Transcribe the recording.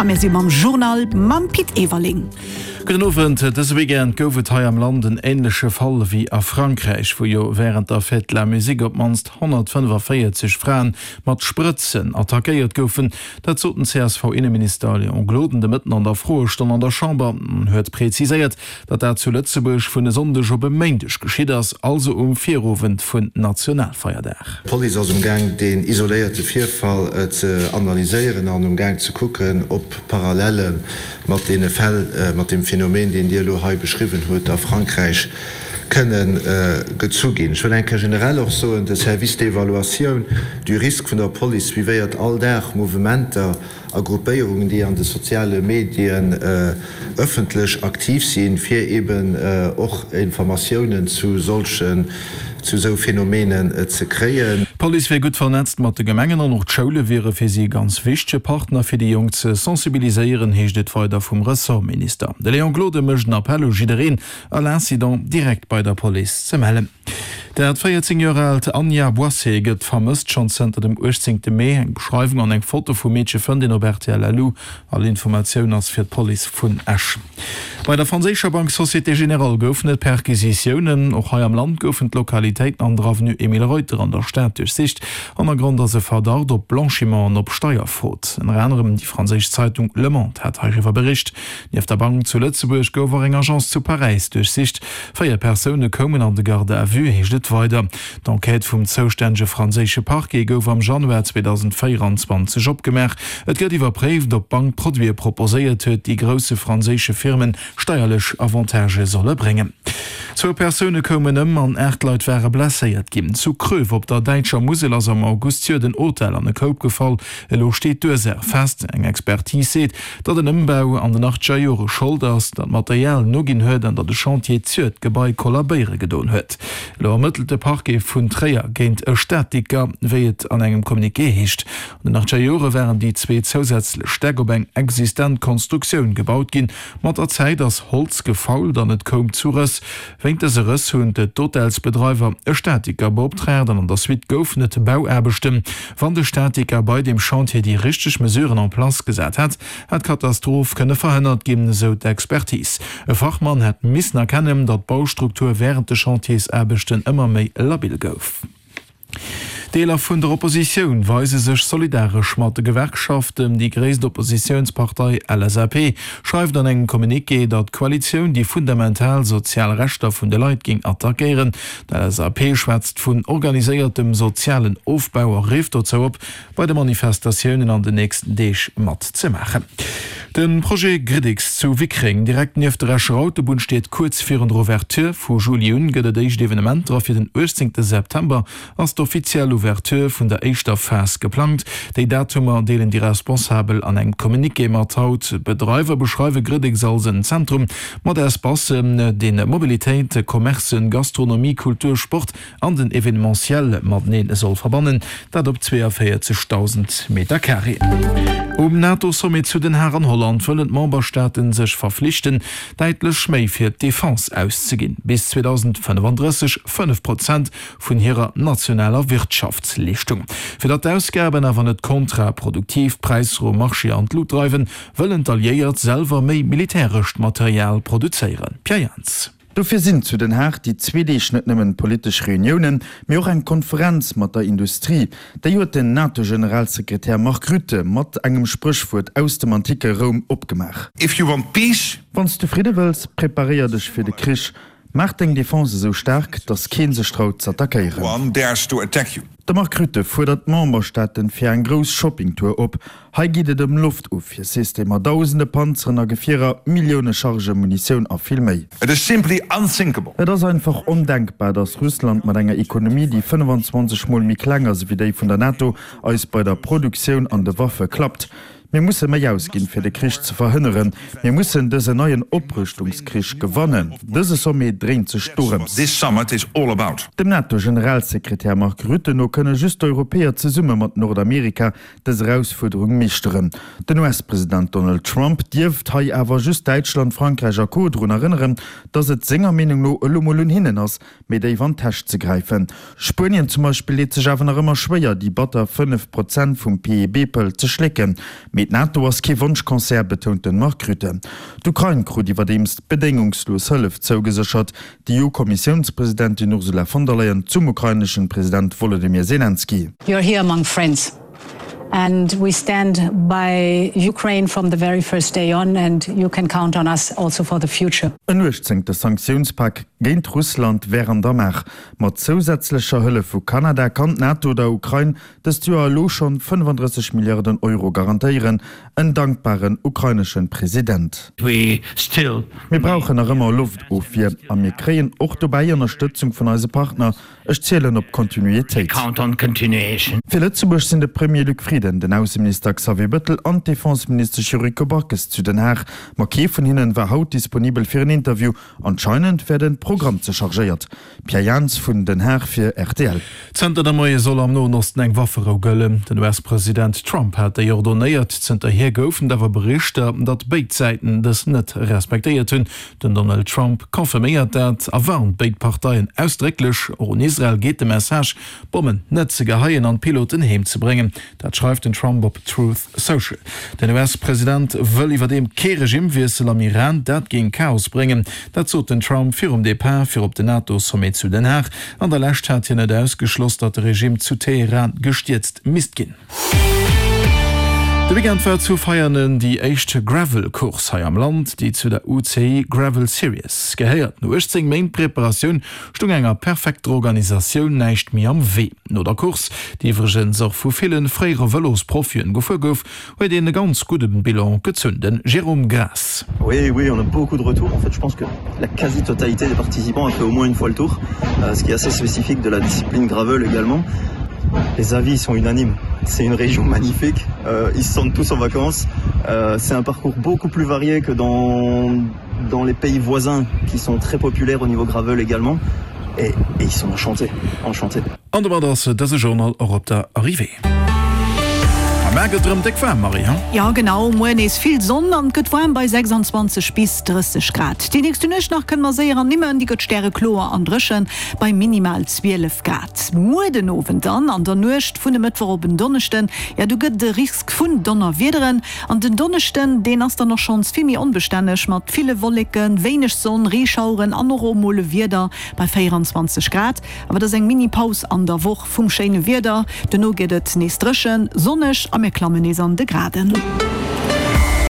A mir si mam Journal mam Pit Everling. Gudden Owend. Dëse Weekend gouf et hei am Land en änleche Fall wéi a Frankräich, wou jo wärend der Fête de la Musique op d'mannst 145 Fraen mat Sprëtzen attackéiert goufen. Dat sot den CSV-Inneminister Léon Gloden de Mëtten an der Froestonn an der Chamber an huet preziséiert, datt dat zu Lëtzebuerg vun e Sonndeg op e Méindeg geschitt ass, also um Virowend vun Nationalfeierdag. D'Police ass um Gaang deen isoléierte Virfall ze analyséieren an um Gaang ze kucken, ob Parallele mat deene Fäll, mat deem Phänomen, deen Dir elo hei beschriwwen hutt, a Frankräich kënne gezu ginn. Ech wëll eng Kéier generell och soen, de Service d'évaluation du risque vun der Police suivéiert all Dag Mouvementer a Gruppéierungen, déi an de soziale Medien ëffentlech aktiv sinn, fir eben och Informatiounen zu solchen, zu esou Phänomenen ze kréien. D'Police wier gutt vernetzt mat de Gemengen an och d'Schoule wiere fir si e ganz wichtege Partner, fir déi Jonk ze sensibiliséieren, heescht et weider vum Ressortminister. De Léon Gloden mécht en Appell u jiddereen, all Incident direkt bei der Police ze mellen. Dat 14 Joer aalt Anja Boisset gëtt vermësst, schonn zënter dem 18 Mee. Eng Beschreiwung an eng Foto vum Meedche fënnt een op rtl LU. All Informatioun ass fir d'Police vun Esch. Bei der franséischer Bank Société Générale goufen et Perquisitiounen. Och hei am Land goufen d'Lokalitéiten an der Avenue Emile Reuter an der Stad duerchsicht. Hannergrond ass e Verdacht op Blanchiment an op Steierfrod. Ënner anerem déi franséisch Zeitung Le Monde hat heiriwwer bericht. Nieft der Bank zu Lëtzebuerg gouf och eng Agence zu Paräis duerchsicht. 4 Persoune koumen an de Garde à vue, heescht et weider. D'Enquête vum zoustännege franséische Parquet gouf am Januar 2024 opgemaach. Et gëtt iwwerpréift, ob d'Bank Produite proposéiert huet, déi grousse franséische Firme steierlech Avantagë solle bréngen. Zwou Persoune koumen ëm an 8 Leit ware blesséiert ginn. Zu Kröv op der däitscher Musel ass am August d'Joer den Hotel an e Koup gefall. Elo steet d'Ursaach fest. Eng Expertise seet, datt en Ëmbau an den achtzeger Jore Schold ass, datt d'Material noginn huet an datt e Chantier d'Sur d'Gebai kollabéiere gedoen huet. Elo ermëttelt de Parquet vun Tréier géint e Statiker, wéi et an engem Communiqué heescht. An den achtzeger Jore waren déi zwee zousätzlech Stäck op eng existent Konstruktioun gebaut ginn. Mat der Zäit ass Holz gefault an et koum zu Rëss. Wéint dëse Rëss hunn d'Hotelsbedreiwer e Statiker beoptraagt an an der Suite goufen et Bauaarbechten. Wann de Statiker bei deem Chantier déi richteg Mesuren en place gesat hätt, hätt d'Katastroph kënne verhënnert ginn, esou d'Expertise. E Fachmann hätt missen erkennen, datt d'Baustruktur wärend de Chantiersaarbechten ëmmer méi labil gouf. Deeler vun der Oppositioun weise sech solidaresch mat de Gewerkschaften. Déi gréisst Oppositiounspartei LSAP schreift an engem Communiqué, datt d'Koalitioun déi fundamental sozial Rechter vun de Leit géing attackéieren. D'LSAP schwätzt vun organiséiertem sozialen Ofbau a rifft dozou op, bei de Manifestatiounen an den nächsten Deeg mat ze maachen. De Projet Gridix zu Wickreng, direkt nieft der Escher Autobunn, steet kuerz virun der Ouverture. Vu Juli un gëtt et éischt Evenementer a fir den 18 September ass d'offiziell Ouverture vun der éischter Phas geplangt. Déi Datumer deelen déi Responsabel an engem Communiqué mat haut. D'Bedreiwer beschreiwe Gridix als en Zentrum mat Espacen, deen Mobilitéit, Commercen, Gastronomie, Kultur, Sport an den Evenementiel mateneen soll verbannen, dat op 42.000 Meter-Carré. Um NATO-Sommet zu Den Haag an Holland wëllen d'Memberstaaten sech verflichten, däitlech méi fir d'Defense auszeginn, bis 2035 5 Prozent vun hirer nationaler Wirtschaftsleeschtung. Fir datt d'Ausgaben awer net kontraproduktiv d'Präisser um Marché an d'Lut dreiwen, wëllen d'Alliéiert selwer méi militärescht Material produzéieren. Pierre Jans. Dofir sinn zu Den Haag déi zwee Deeg net nëmmen politesch Reuniounen, mee och eng Konferenz mat der Industrie. Déi huet den NATO-Generalsekretär Mark Rutte mat engem Spréchwuert aus dem antike Roum opgemaach. If you want peace. Wann s du Fridde wëlls, preparéier dech fir de Krich. Maach deng Defense esou staark, datt kee sech traut z'attackéieren. One dares to attack you. De Mark Rutte fuerdert d'Memberstaaten fir eng grouss Shoppingtour op. Hei geet et ëm Loftofwiersystemer, dausende Panzeren a Gefierer, Millioune Chargë Munitioun a vill méi. It is simply unthinkable. Et ass einfach ondenkbar, datt Russland mat enger Ekonomie, déi 25 mol méi kleng ass ewéi déi vun der NATO, eis bei der Produktioun an de Waffe klappt. Mir musse méi ausginn, fir de Krich ze verhënneren. Mir mussen dësen neien Oprëschtungskrich gewannen. Dëse Sommet dréint sech dorëms. Dem NATO-Generalsekretär Mark Rutte no kënne just d'Europäer zesumme mat Nordamerika dës Erausfuerderung meeschteren. Den US-President Donald Trump dierft hei awer just Däitschland, Frankräich a Co. Drun erënneren, datt et senger Meenung no elo mol un hinnen ass, méi déif an d'Täsch ze gräifen. Spuenien zum Beispill deet sech awer nach ëmmer schwéier, déi batter 5 Prozent vum PIB-Pëll ze schlécken. Mee d'NATO ass kee Wonschconcert, betount de Mark Rutte. D'Ukrain krut iwwerdeems bedéngungslos Hëllef zougeséchert. D'EU-Kommissiounspresidentin Ursula von der Leyen zum ukraineschen President Wolodymyr Selenskyj. You're here among friends and we stand by Ukraine from the very first day on and you can count on us also for the future. En uechtzéngte Sanktiounspak géint Russland wär an der Maach. Mat zousätzlecher Hëllef vu Kanada kann d'NATO der Ukrain dëst Joer elo schonn 35 Milliarden Euro garantéieren. En dankbaren ukraineschen President. Mir brauchen nach ëmmer Loftofwier a mir kréien och dobäi Ënnerstëtzung vun eise Partner. Ech zielen op Kontinuitéit. Fir Lëtzebuerg sinn de Premier Luc Frieden, den Ausseminister Xavier Bëttel an d'Defenseministesch Yuriko Backes zu Den Haag. Ma kee vun hinnen war haut disponibel fir en Interview. Anscheinend wär de Programm ze chargéiert. Pierre Jans vun Den Haag fir rtl. Zënter de Moie soll am Noen Osten eng Wafferou gëllen. Den US-President Trump hat déi ordonéiert. Zënterhier goufen et awer Berichter, datt béid Säiten dës net respektéiert hunn. Den Donald Trump confirméiert dat a warnt béid Parteien ausdrécklech. Och un Israel geet de Message, d'Bommen net ze geheien an d'Piloten heem ze bréngen. Dat schreift den Trump op Truth Social. Den US-President wëll iwwerdeem kee Regimmwiessel am Iran, dat géing Chaos bréngen. Dat sot den Trump virum Depart fir op den NATO-Sommet zu Den Haag. An der Lescht hat hien net ausgeschloss, datt de Regimm zu Teheran gestierzt misst ginn. De Weekend war zu Veianen déi éischt Gravel-Course hei am Land, déi zu der UCI Gravel Series gehéiert. No 18 Méint Preparatioun stung enger perfekter Organisatioun näischt méi am Wee. No der Course, déi iwwregens och vu ville fréiere Vëlosprofien gefuer gouf, huet een e ganz gudde Bilan gezunn. De Jérôme Graas. Oui, oui, on a beaucoup de retours. En fait, je pense que la quasi-totalité des participants a fait au moins une fois le tour, euh, ce qui est assez spécifique de la discipline gravel également. Les avis sont unanimes. C'est une région magnifique. Euh, ils se sentent tous en vacances. Euh, c'est un parcours beaucoup plus varié que dans, dans les pays voisins qui sont très populaires au niveau gravel également. Et, et ils sont enchantés, enchantés. An domat ass dëse Journal och op der Arrivée. A mar gëtt erëm déck waarm, Marie, he? Jo genau, muer nees vill Sonn an et gëtt waarm bei 26 bis 30 Grad. Déi nächste Nuecht nach kënne mer séier ernimmen, déi gëtt stärekloer an dréchen bei minimal 12 Grad. Muer den Owend dann an der Nuecht vun e Mëttwoch op en Donneschden, jo do gëtt et e Risk vun Donnerwiederen. An den Donneschden, deen ass dann och schonns vill méi onbestänneg mat ville Wolleken, wéineg Sonn, Reeschaueren an och och mol e Wieder bei 24 Grad. Awer et ass eng Mini-Paus an der Woch vum schéine Wieder. Dono gëtt et nees dréchen, sonneg a mir klammen nees an de Graden.